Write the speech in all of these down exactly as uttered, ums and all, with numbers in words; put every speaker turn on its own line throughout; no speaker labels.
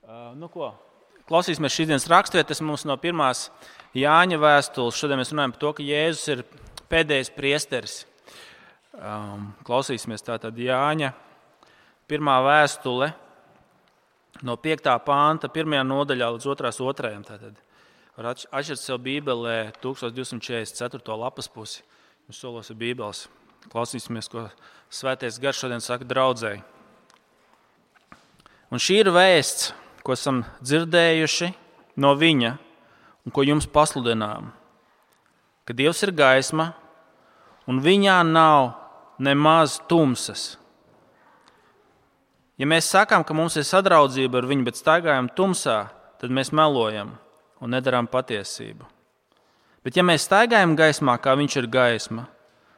Uh, nu ko, klausīsimies šīs dienas raksturvietas mums no pirmās Jāņa vēstules. Šodien mēs runājam par to, ka Jēzus ir pēdējais priesteris. Um, klausīsimies tātad Jāņa pirmā vēstule no piektā panta, pirmajā nodaļā līdz otrās otrajam. Tātad var atšķirt sev Bībelē tūkstoš divsimt četrdesmit ceturto lapas pusi. Jums solos ir Bībeles. Klausīsimies, ko Svētais Gars šodien saka draudzēji. Un šī ir vēsts, ko esam dzirdējuši no viņa un ko jums pasludinām, ka Dievs ir gaisma un viņā nav nemaz tumsas. Ja mēs sakām, ka mums ir sadraudzība ar viņu, bet staigājam tumsā, tad mēs melojam un nedarām patiesību. Bet ja mēs staigājam gaismā, kā viņš ir gaisma,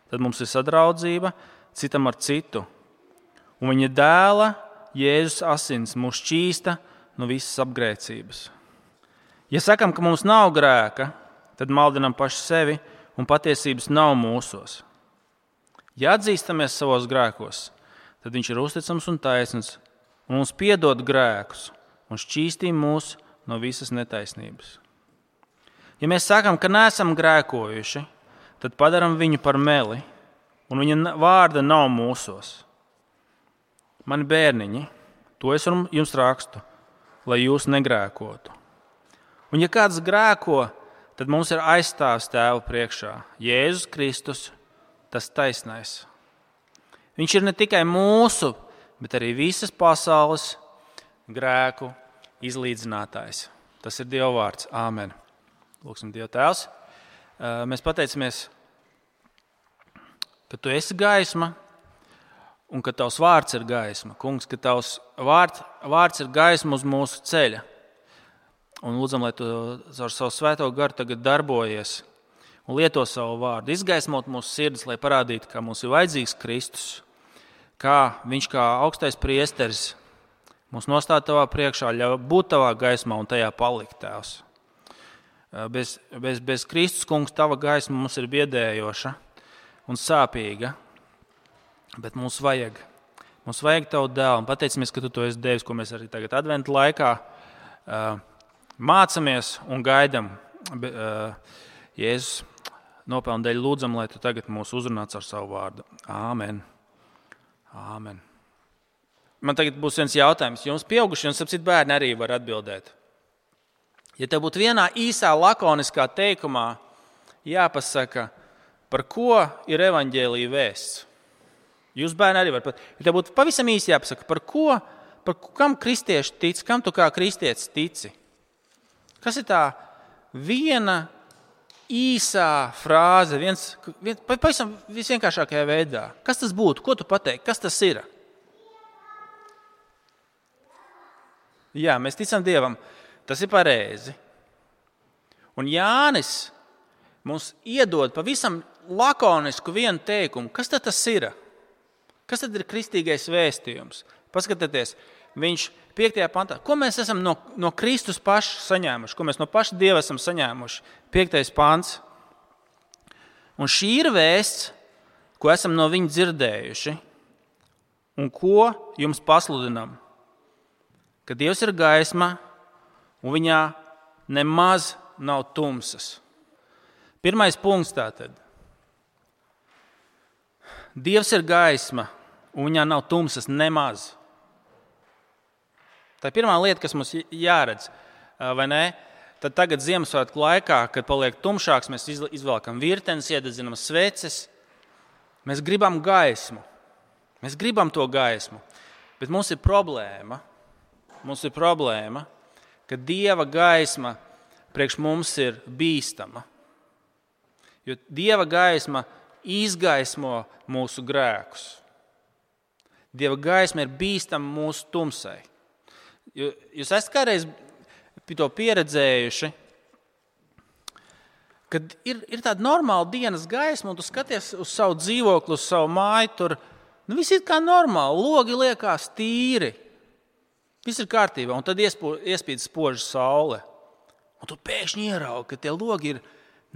tad mums ir sadraudzība citam ar citu. Un viņa dēla Jēzus asins mūs šķīsta no visas apgrēcības. Ja sakām, ka mums nav grēka, tad maldinām paši sevi un patiesības nav mūsos. Ja atzīstamies savos grēkos, tad viņš ir uzticams un taisns un mums piedod grēkus un šķīstī mūs no visas netaisnības. Ja mēs sakām, ka neesam grēkojuši, tad padaram viņu par meli un viņa vārda nav mūsos. Mani bērniņi, to es jums rakstu, lai jūs negrēkotu. Un ja kāds grēko, tad mums ir aizstāvs Tēva priekšā. Jēzus Kristus, tas taisnais. Viņš ir ne tikai mūsu, bet arī visas pasaules grēku izlīdzinātājs. Tas ir Dieva vārds. Āmen. Lūksim Dievu Tēvs. Mēs pateicamies, ka Tu esi gaisma un ka Tavs vārds ir gaisma. Kungs, ka Tavs vārds, vārds ir gaisma uz mūsu ceļa. Un lūdzam, lai Tu ar savu svēto garu tagad darbojies un lieto savu vārdu. Izgaismot mūsu sirdis, lai parādītu, ka mums ir vajadzīgs Kristus. Kā viņš kā augstais priesteris mūs nostāda Tavā priekšā, ļauj būt Tavā gaismā un tajā palikt, Tēvs. Bez, bez, bez Kristus, Kungs, Tava gaisma mums ir biedējoša un sāpīga. Bet mums vajag, mums vajag Tavu dēlu, un pateicamies, ka Tu to esi devis, ko mēs arī tagad adventu laikā uh, mācamies un gaidam. Uh, Jēzus nopelnu dēļ lūdzam, lai Tu tagad mūs uzrunāts ar savu vārdu. Āmen. Āmen. Man tagad būs viens jautājums. Jums pieauguši un sapcīt bērni arī var atbildēt. Ja tev būtu vienā īsā lakoniskā teikumā jāpasaka, par ko ir evaņģēlija vēsts. Jūs bērni arī var pat. Ja tev būtu pavisam īsi jāpasaka, par ko, par kam kristieši tic, kam tu kā kristietis tici? Kas ir tā viena īsā frāze, viens, viens pavisam visvienkāršākajā veidā? Kas tas būtu? Ko tu pateiksi? Kas tas ir? Jā, mēs ticam Dievam. Tas ir pareizi. Un Jānis mums iedod pavisam lakonisku vienu teikumu. Kas tad tas ir? Kas tad ir kristīgais vēstījums? Paskatieties, viņš piektajā pantā. Ko mēs esam no, no Kristus paša saņēmuši? Ko mēs no paša Dieva esam saņēmuši? Piektais pants. Un šī ir vēsts, ko esam no viņa dzirdējuši un ko jums pasludinām. Ka Dievs ir gaisma un viņā nemaz nav tumsas. Pirmais punkts tātad. Dievs ir gaisma, un viņā nav tumsas nemaz. Tā ir pirmā lieta, kas mums jāredz, vai ne? Tad tagad Ziemassvētku laikā, kad paliek tumšāks, mēs izvelkam virtenes, iededzinām sveces. Mēs gribam gaismu. Mēs gribam to gaismu. Bet mums ir problēma. Mums ir problēma, ka Dieva gaisma priekš mums ir bīstama. Jo Dieva gaisma izgaismo mūsu grēkus. Dieva gaisma ir bīstama mūsu tumsai. Jūs esat kādreiz to pieredzējuši, kad ir, ir tāda normāla dienas gaisma, un tu skaties uz savu dzīvokli, uz savu māju, tur nu, viss ir kā normāli, logi liekas tīri, viss ir kārtībā, un tad iespīd spoža saule. Un tu pēkšņi ieraugi, ka tie logi ir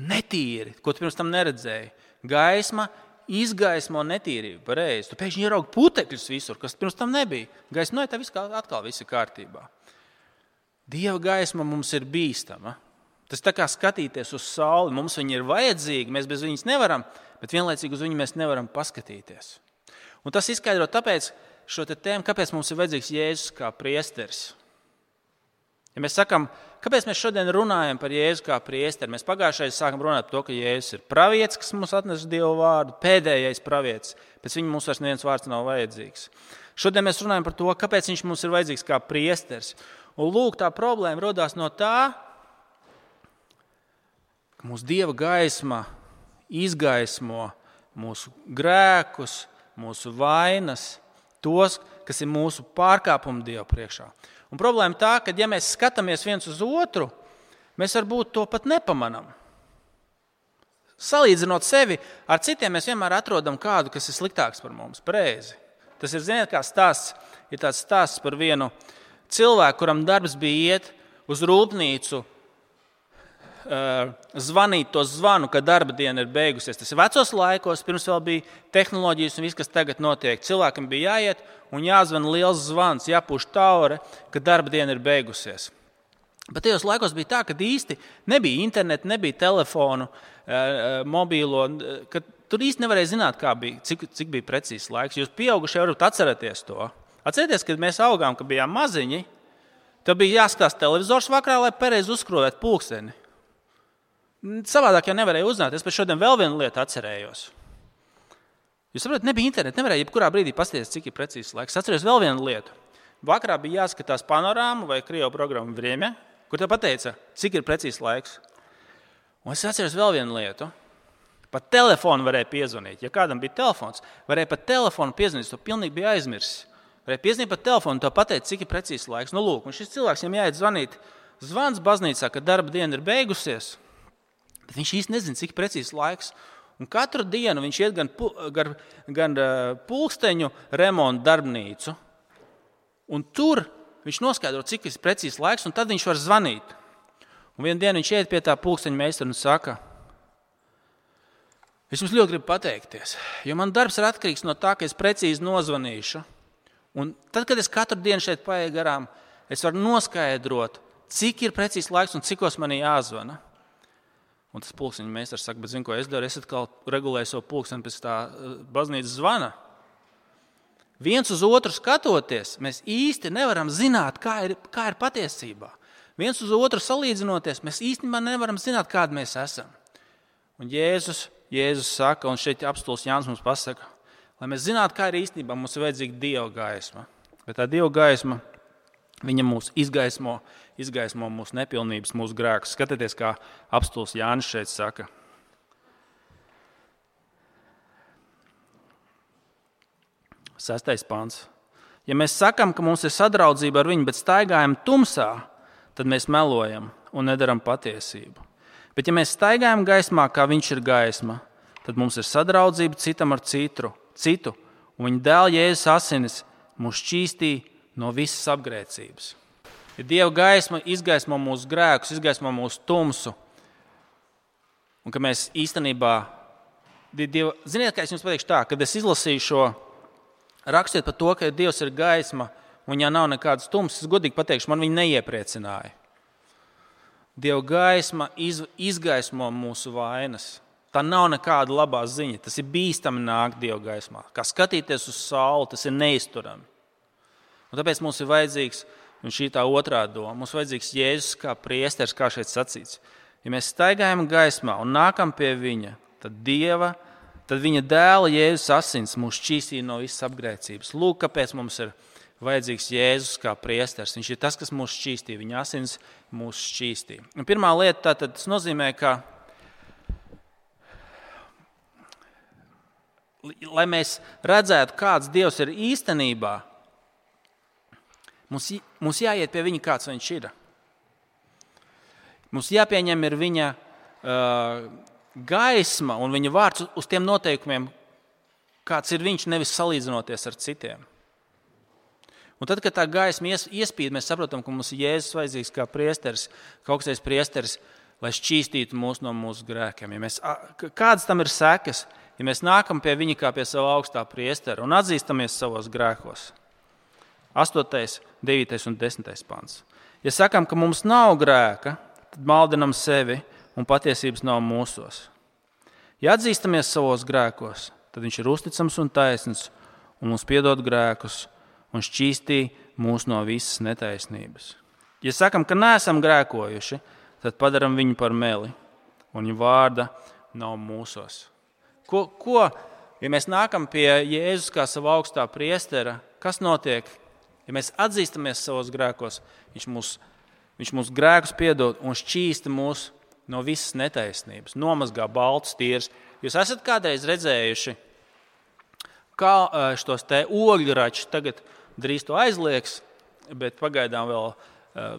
netīri, ko tu pirms tam neredzēji. Gaisma izgaismo netīrību, pareizi. Tu pēkšņi ieraugi putekļus visur, kas pirms tam nebija. Gaisma, no, tā viss atkal viss ir kārtībā. Dieva gaisma mums ir bīstama. Tas tā kā skatīties uz sauli, mums viņa ir vajadzīga, mēs bez viņas nevaram, bet vienlaicīgi uz viņu mēs nevaram paskatīties. Un tas izskaidro tāpēc šo te tēmu, kāpēc mums ir vajadzīgs Jēzus kā priesteris. Ja mēs sakam, kāpēc mēs šodien runājam par Jēzu kā priesteri, mēs pagājušajā sākam runāt par to, ka Jēzus ir pravietis, kas mums atnes Dievu vārdu, pēdējais pravietis, pēc viņa mums vairs neviens vārds nav vajadzīgs. Šodien mēs runājam par to, kāpēc viņš mums ir vajadzīgs kā priesteris. Un lūk, tā problēma rodās no tā, ka mūsu Dieva gaisma izgaismo mūsu grēkus, mūsu vainas, tos, kas ir mūsu pārkāpumi Dieva priekšā. Un problēma tā, ka ja mēs skatāmies viens uz otru, mēs varbūt to pat nepamanām. Salīdzinot sevi ar citiem, mēs vienmēr atrodam kādu, kas ir sliktāks par mums, pareizi. Tas ir, ziniet, kā stāsts, ir tāds stāsts par vienu cilvēku, kuram darbs bija iet uz rūpnīcu, zvanīt to zvanu, ka darba diena ir beigusies. Tas ir vecos laikos, pirms vēl bija tehnoloģijas un viss, kas tagad notiek. Cilvēkam bija jāiet un jāzvan liels zvans, jāpūš taure, ka darba diena ir beigusies. Bet tajos laikos bija tā, ka īsti nebija interneta, nebija telefonu, mobīlo, ka tur īsti nevarēja zināt, kā bija, cik, cik bija precīzs laiks. Jūs pieaugušie varat atcerēties to. Atcerieties, kad mēs augām, kad bijām maziņi, tad bija jāskatās televizors vakarā, lai pareizi uzskrūvētu pulksteni. Savādāk jau nevarēja uzzināt. Es pēc šodien vēl vienu lietu atcerējos. Jūs saprotat, nebija interneta, nevarēja jebkurā brīdī paskatīties, cik ir precīzs laiks. Atceros vēl vienu lietu. Vakarā bija jāskatās panorāmu vai krievu programmu Vremja, kur te pateica, cik ir precīzs laiks. Un es atceros vēl vienu lietu. Pat telefonu varēja piezvanīt. Ja kādam bija telefons, varēja pat telefonu piezvanīt, to pilnīgi bija aizmirsis. Varēja piezvanīt pa telefonu, to pateikt, cik ir precīzs laiks. Nu, lūk, un šis cilvēks, viņam jāiet zvanīt zvans baznīcā, ka darba diena ir beigusies, bet viņš īsti nezina, cik ir precīzs laiks. Un katru dienu viņš iet gan, gan, gan pulksteņu remontu darbnīcu, un tur viņš noskaidro, cik ir precīzs laiks, un tad viņš var zvanīt. Un vienu dienu viņš iet pie tā pulksteņu meistara un saka, es jums ļoti gribu pateikties, jo man darbs ir atkarīgs no tā, ka es precīzi nozvanīšu. Un tad, kad es katru dienu šeit paieku garām, es varu noskaidrot, cik ir precīzs laiks un cikos man jāzvana. Un tas pulksteņu meistars saka, bet zinu, ko es daru, es atkal regulēju savu pulksteni pēc tā baznīcas zvana. Viens uz otru skatoties, mēs īsti nevaram zināt, kā ir, kā ir patiesībā. Viens uz otru salīdzinoties, mēs īstenībā nevaram zināt, kādi mēs esam. Un Jēzus, Jēzus saka, un šeit apostuls Jānis mums pasaka, lai mēs zinātu, kā ir īstenībā, mums ir vajadzīga Dieva gaisma. Bet tā Dieva gaisma, viņa mūs izgaismo, izgaismo mūsu nepilnības, mūsu grēkus. Skatieties, kā apostuls Jānis šeit saka. Sestais pants. Ja mēs sakam, ka mums ir sadraudzība ar viņu, bet staigājam tumsā, tad mēs melojam un nedaram patiesību. Bet ja mēs staigājam gaismā, kā viņš ir gaisma, tad mums ir sadraudzība citam ar citu. citu, un viņa dēla Jēzus asinis mūs šķīstīja no visas apgrēcības. Ja Dieva gaisma izgaismo mūsu grēkus, izgaismo mūsu tumsu, un ka mēs īstenībā, Dieva, ziniet, kā es jums pateikšu tā, kad es izlasīju šo rakstiet par to, ka Dievs ir gaisma, un ja nav nekādas tumsas, es godīgi pateikšu, man viņa neiepriecināja. Dieva gaisma iz, izgaismo mūsu vainas. Tā nav nekāda labā ziņa. Tas ir bīstami nākt Dieva gaismā. Kā skatīties uz sauli, tas ir neizturami. Un tāpēc mums ir vajadzīgs, un šī tā otrā doma, mums ir vajadzīgs Jēzus kā priesteris, kā šeit sacīts. Ja mēs staigājam gaismā un nākam pie viņa, tad Dieva, tad viņa dēla Jēzus asins mūs šķīstīja no visas apgrēcības. Lūk, kāpēc mums ir vajadzīgs Jēzus kā priesteris. Viņš ir tas, kas mūs šķīstīja. Viņa asins mūs šķīstīja. Un pirmā lieta tātad tas nozīmē, ka lai mēs redzētu, kāds Dievs ir īstenībā, mums, mums jāiet pie viņa, kāds viņš ir. Mums jāpieņem ir viņa uh, gaisma un viņa vārds uz tiem noteikumiem, kāds ir viņš, nevis salīdzinoties ar citiem. Un tad, kad tā gaisma ies, iespīd, mēs saprotam, ka mums ir Jēzus vajadzīgs kā priesteris, kā augstais priesteris, lai šķīstītu mūs no mūsu grēkiem. Ja mēs, kādas tam ir sekas? Ja mēs nākam pie viņa kā pie sava augstā priestera un atzīstamies savos grēkos, astotais, devītais un desmitais pants. Ja sakām, ka mums nav grēka, tad maldinam sevi un patiesības nav mūsos. Ja atzīstamies savos grēkos, tad viņš ir uzticams un taisns un mums piedod grēkus un šķīstī mūs no visas netaisnības. Ja sakām, ka neesam grēkojuši, tad padaram viņu par meli un viņa vārda nav mūsos. Ko, ko, ja mēs nākam pie Jēzus kā sava augstā priestera, kas notiek? Ja mēs atzīstamies savos grēkos, viņš mūs, viņš mūs grēkus piedod un šķīsta mūs no visas netaisnības, nomazgā baltus tīrus. Jūs esat kādreiz redzējuši, kā šos te ogļračus, tagad drīz to aizliegs, bet pagaidām vēl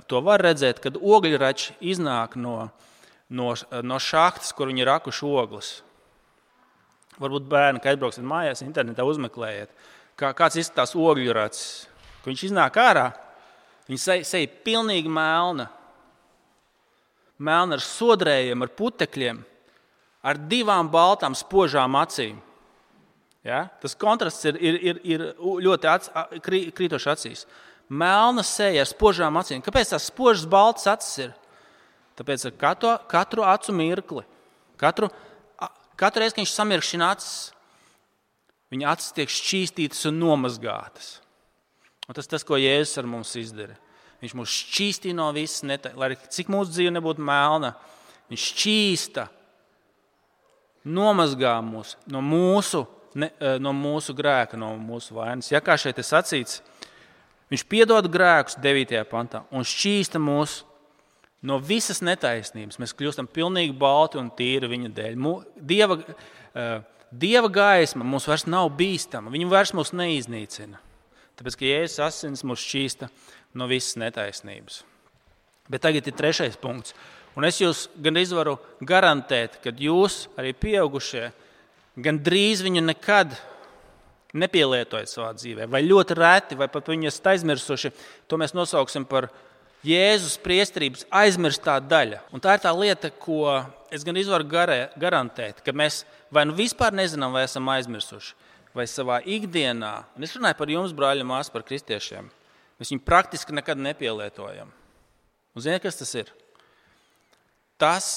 to var redzēt, kad ogļrači iznāk no, no, no šahtas, kur viņi rakuši ogles. Varbūt bērni, kad aizbrauksiet mājās, internetā uzmeklējiet, kā, kāds izskatās ogļracis. Kad viņš iznāk ārā, viņa seja, seja pilnīgi melna. Melna ar sodrējiem, ar putekļiem, ar divām baltām spožām acīm. Ja? Tas kontrasts ir, ir, ir, ir ļoti ats, krītoši acīs. Melna seja ar spožām acīm. Kāpēc tās spožas baltas acis ir? Tāpēc ar katru, katru acu mirkli, katru, katru reizi, kad viņš samirkšķina acis, viņa acis tiek šķīstītas un nomazgātas. Un tas tas, ko Jēzus ar mums izdara. Viņš mūs šķīstī no visas netaisnības, lai cik mūsu dzīve nebūtu melna. Viņš šķīsta, nomazgā mūs no mūsu, ne, no mūsu grēka, no mūsu vainas. Ja kā šeit ir sacīts, viņš piedod grēkus devītajā pantā un šķīsta mūs no visas netaisnības. Mēs kļūstam pilnīgi balti un tīri viņa dēļ. Dieva, Dieva gaisma mums vairs nav bīstama, viņa vairs mūs neiznīcina. Tāpēc, ka Jēzus asins mūs šķīsta no visas netaisnības. Bet tagad ir trešais punkts. Un es jūs gandrīz varu garantēt, ka jūs, arī pieaugušie, gandrīz viņu nekad nepielietojat savā dzīvē. Vai ļoti reti, vai pat viņu esat aizmirsuši. To mēs nosauksim par Jēzus priesterības aizmirstā daļa. Un tā ir tā lieta, ko es gandrīz varu garantēt, ka mēs vai nu vispār nezinām, vai esam aizmirsuši. Vai savā ikdienā, un es runāju par jums, brāļi un māsas, par kristiešiem, mēs viņu praktiski nekad nepielietojam. Un ziniet, kas tas ir? Tas,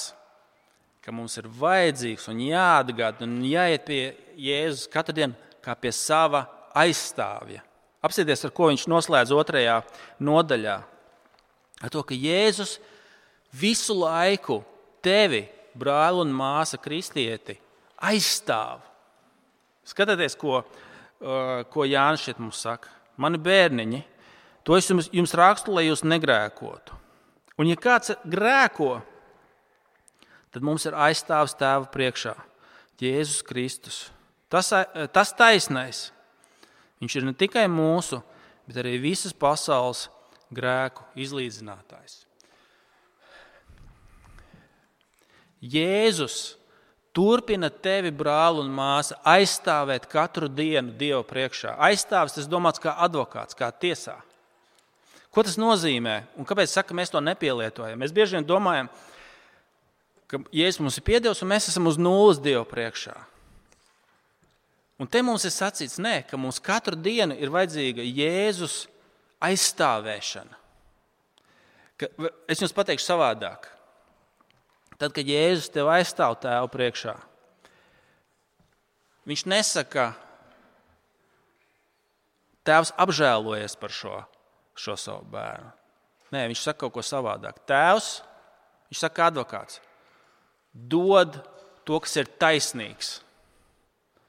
ka mums ir vajadzīgs un jāatgāda un jāiet pie Jēzus katru dienu kā pie sava aizstāvja. Apsieties, ar ko viņš noslēdz otrajā nodaļā. Ar to, ka Jēzus visu laiku tevi, brāli un māsa kristieti, aizstāv. Skatieties, ko, ko Jānis šeit mums saka. Mani bērniņi, to es jums, jums rakstu, lai jūs negrēkotu. Un ja kāds grēko, tad mums ir aizstāvs Tēva priekšā, Jēzus Kristus. Tas, tas taisnais. Viņš ir ne tikai mūsu, bet arī visas pasaules grēku izlīdzinātājs. Jēzus turpina tevi, brāli un māsa, aizstāvēt katru dienu Dieva priekšā. Aizstāvis, tas domāts kā advokāts, kā tiesā. Ko tas nozīmē? Un kāpēc saka, mēs to nepielietojam? Mēs bieži vien domājam, ka Jēzus mums ir piedevis un mēs esam uz nulles Dieva priekšā. Un te mums ir sacīts, nē, ka mums katru dienu ir vajadzīga Jēzus aizstāvēšana. Ka, es jums pateikšu savādāk. Tad, kad Jēzus tev aizstāv Tēva priekšā, viņš nesaka, Tēvs apžēlojies par šo, šo savu bērnu. Nē, viņš saka kaut ko savādāk. Tēvs, viņš saka advokāts, dod to, kas ir taisnīgs.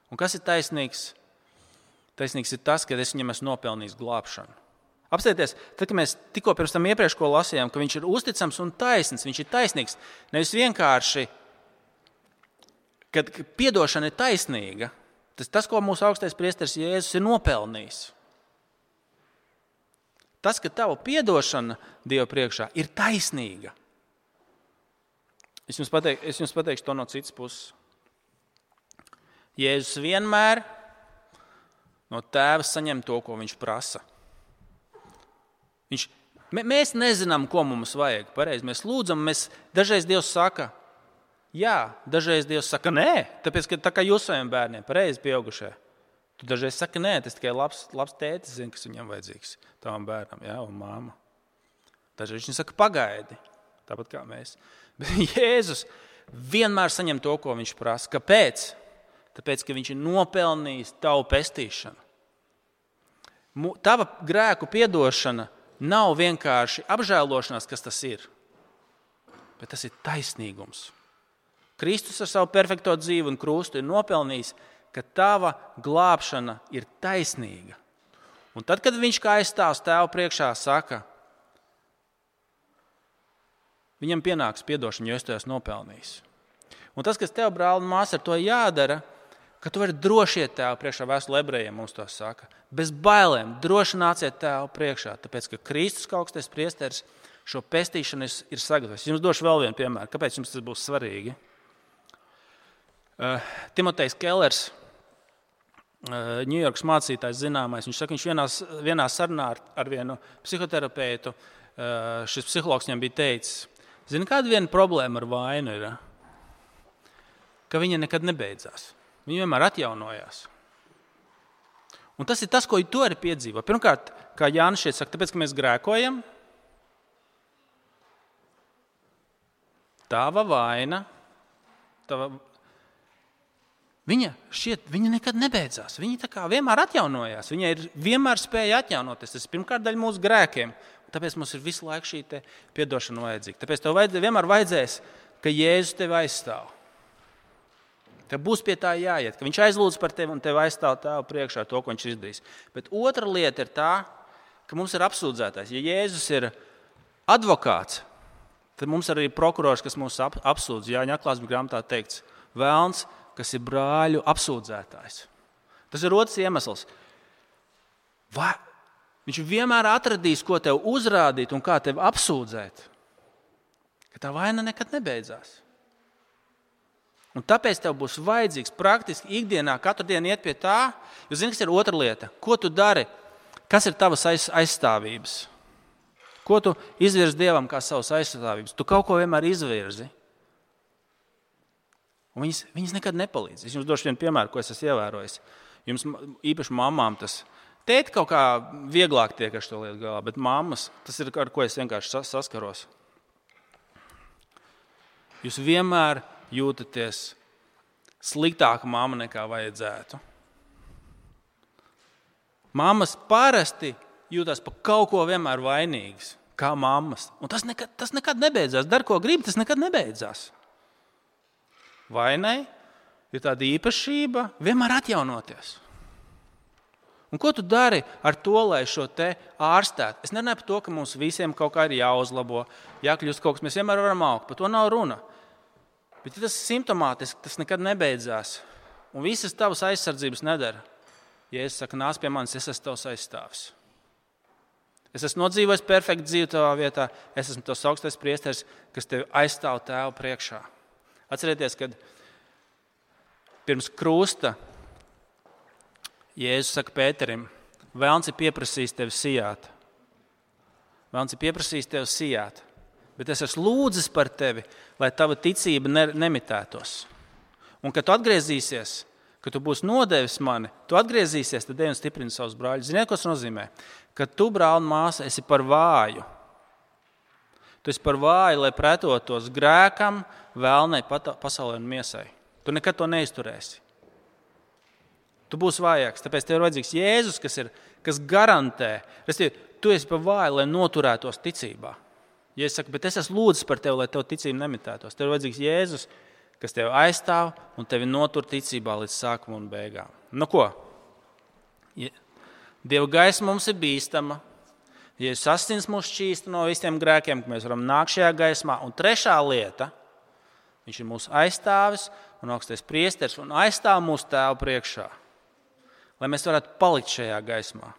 Un kas ir taisnīgs? Taisnīgs ir tas, ka es viņam esmu nopelnījis glābšanu. Apstieties, tad, kad mēs tikko pirms tam iepriekš ko lasījām, ka viņš ir uzticams un taisns, viņš ir taisnīgs, nevis vienkārši, kad piedošana ir taisnīga, tas, tas ko mūsu augstais priesteris Jēzus ir nopelnījis. Tas, ka tava piedošana Dieva priekšā ir taisnīga. Es jums, pateik, es jums pateikšu to no citas puses. Jēzus vienmēr no Tēva saņem to, ko viņš prasa. Viņš, mēs nezinām, ko mums vajag. Pareizi, mēs lūdzam, mēs, dažreiz Dievs saka, jā, dažreiz Dievs saka, nē, tāpēc, ka tā kā jūs saviem bērniem, pareizi pieaugušie. Tu dažreiz saki, nē, tas tikai labs, labs tētis zina, kas viņam vajadzīgs, tavam bērnam, jā, un māma. Dažreiz viņš saka, pagaidi, tāpat kā mēs. Bet Jēzus vienmēr saņem to, ko viņš prasa. Kāpēc? Tāpēc, ka viņš ir nopelnījis tavu pestīšanu. Tava grēku piedošana nav vienkārši apžēlošanās, kas tas ir, bet tas ir taisnīgums. Kristus ar savu perfekto dzīvi un krustu ir nopelnījis, ka tava glābšana ir taisnīga. Un tad, kad viņš kā aizstāvs tēvu priekšā saka, viņam pienāks piedošana, jo es to esmu nopelnījis. Un tas, kas tev, brāl un māsa, ar to jādara, ka tu vari droši iet tēvu priekšā, vēstule ebrejiem mums to saka. Bez bailēm, droši nāciet tēvu priekšā, tāpēc, ka Kristus kā augstais priesteris šo pestīšanu ir sagatavojis. Jums došu vēl vienu piemēru, kāpēc jums tas būs svarīgi. Uh, Timotejs Kellers, uh, Ņujorkas mācītājs zināmais, viņš saka, viņš vienā, vienā sarunā ar, ar vienu psihoterapeitu, uh, šis psihologs viņam bija teicis, zini, kāda viena problēma ar vainu ir, ka viņa nekad nebeidzās. Viņa vienmēr atjaunojās. Un tas ir tas, ko tu arī piedzīvo. Pirmkārt, kā Jānis šeit saka, tāpēc, ka mēs grēkojam, tava vaina, tava... viņa šķiet, viņa nekad nebeidzās. Viņa tā kā vienmēr atjaunojās. Viņa ir vienmēr spēja atjaunoties. Tas ir pirmkārt daļa mūsu grēkiem. Tāpēc mums ir visu laiku šī te piedošana vajadzīga. Tāpēc tev vajadzēs, vienmēr vajadzēs, ka Jēzus tevi aizstāv. Tev būs pie tā jāiet, ka viņš aizlūdz par tevi un tevi aizstāv tēvu priekšā to, ko viņš izdarīs. Bet otra lieta ir tā, ka mums ir apsūdzētājs. Ja Jēzus ir advokāts, tad mums arī ir prokurors, kas mūs ap, apsūdz. Jāņa atklāsmes grāmatā teikts, velns, kas ir brāļu apsūdzētājs. Tas ir otrs iemesls. Vai viņš vienmēr atradīs, ko tev uzrādīt un kā tevi apsūdzēt, ka tā vaina nekad nebeidzās. Un tāpēc tev būs vajadzīgs praktiski ikdienā katru dienu iet pie tā, jo zini, kas ir otra lieta. Ko tu dari? Kas ir tavas aiz, aizstāvības? Ko tu izvirzi Dievam kā savas aizstāvības? Tu kaut ko vienmēr izvirzi. Un viņas, viņas nekad nepalīdz. Es jums došu vienu piemēru, ko es esmu ievērojis. Jums īpaši mamām tas. Tēti kaut kā vieglāk tiek ar šo lietu galā, bet mammas, tas ir ar ko es vienkārši saskaros. Jūs vienmēr jūtaties sliktāka mamma nekā vajadzētu. Mammas parasti jūtas par kaut ko vienmēr vainīgas, kā mammas. Un tas nekad, tas nekad nebeidzās. Dar, ko grib, tas nekad nebeidzās. Vainai ir tāda īpašība vienmēr atjaunoties. Un ko tu dari ar to, lai šo te ārstētu? Es nerunāju par to, ka mums visiem kaut kā ir jāuzlabo, jākļūst kaut kas, mēs vienmēr varam augt. Par to nav runa. Bet ja tas ir simptomātiski, tas nekad nebeidzās. Un visas tavas aizsardzības nedara. Ja es saku, nāc pie manis, es esmu tavs aizstāvis. Es esmu nodzīvojis perfektu dzīvi tavā vietā. Es esmu tavs augstais priesteris, kas tevi aizstāv tēvu priekšā. Atcerieties, kad pirms krusta Jēzus saka Pēterim, velns ir pieprasījis tevi sijāt. Velns ir pieprasījis tevi sijāt. Bet es esmu lūdzis par tevi, lai tava ticība ne, nemitētos. Un, kad tu atgriezīsies, kad tu būsi nodevis mani, tu atgriezīsies, tad ej un stiprini savus brāļus. Ziniet, ko tas nozīmē? Kad tu, brāl un māsa, esi par vāju. Tu esi par vāju, lai pretotos grēkam, vēlnei, pasaulē un miesai. Tu nekad to neizturēsi. Tu būsi vājāks, tāpēc tev ir vajadzīgs Jēzus, kas, ir, kas garantē. Restīvi, tu esi par vāju, lai noturētos ticībā. Ja es saku, bet es esmu lūdzis par tevi, lai tev ticība nemitētos. Tev ir vajadzīgs Jēzus, kas tevi aizstāv un tevi notur ticībā līdz sākumam un beigām. Nu ko? Ja Dieva gaisma mums ir bīstama. Jēzus asins mūs šķīsta no visiem grēkiem, ka mēs varam nākt šajā gaismā. Un trešā lieta, viņš ir mūsu aizstāvis un augstais priesteris un aizstāv mūsu tēvu priekšā. Lai mēs varētu palikt šajā gaismā.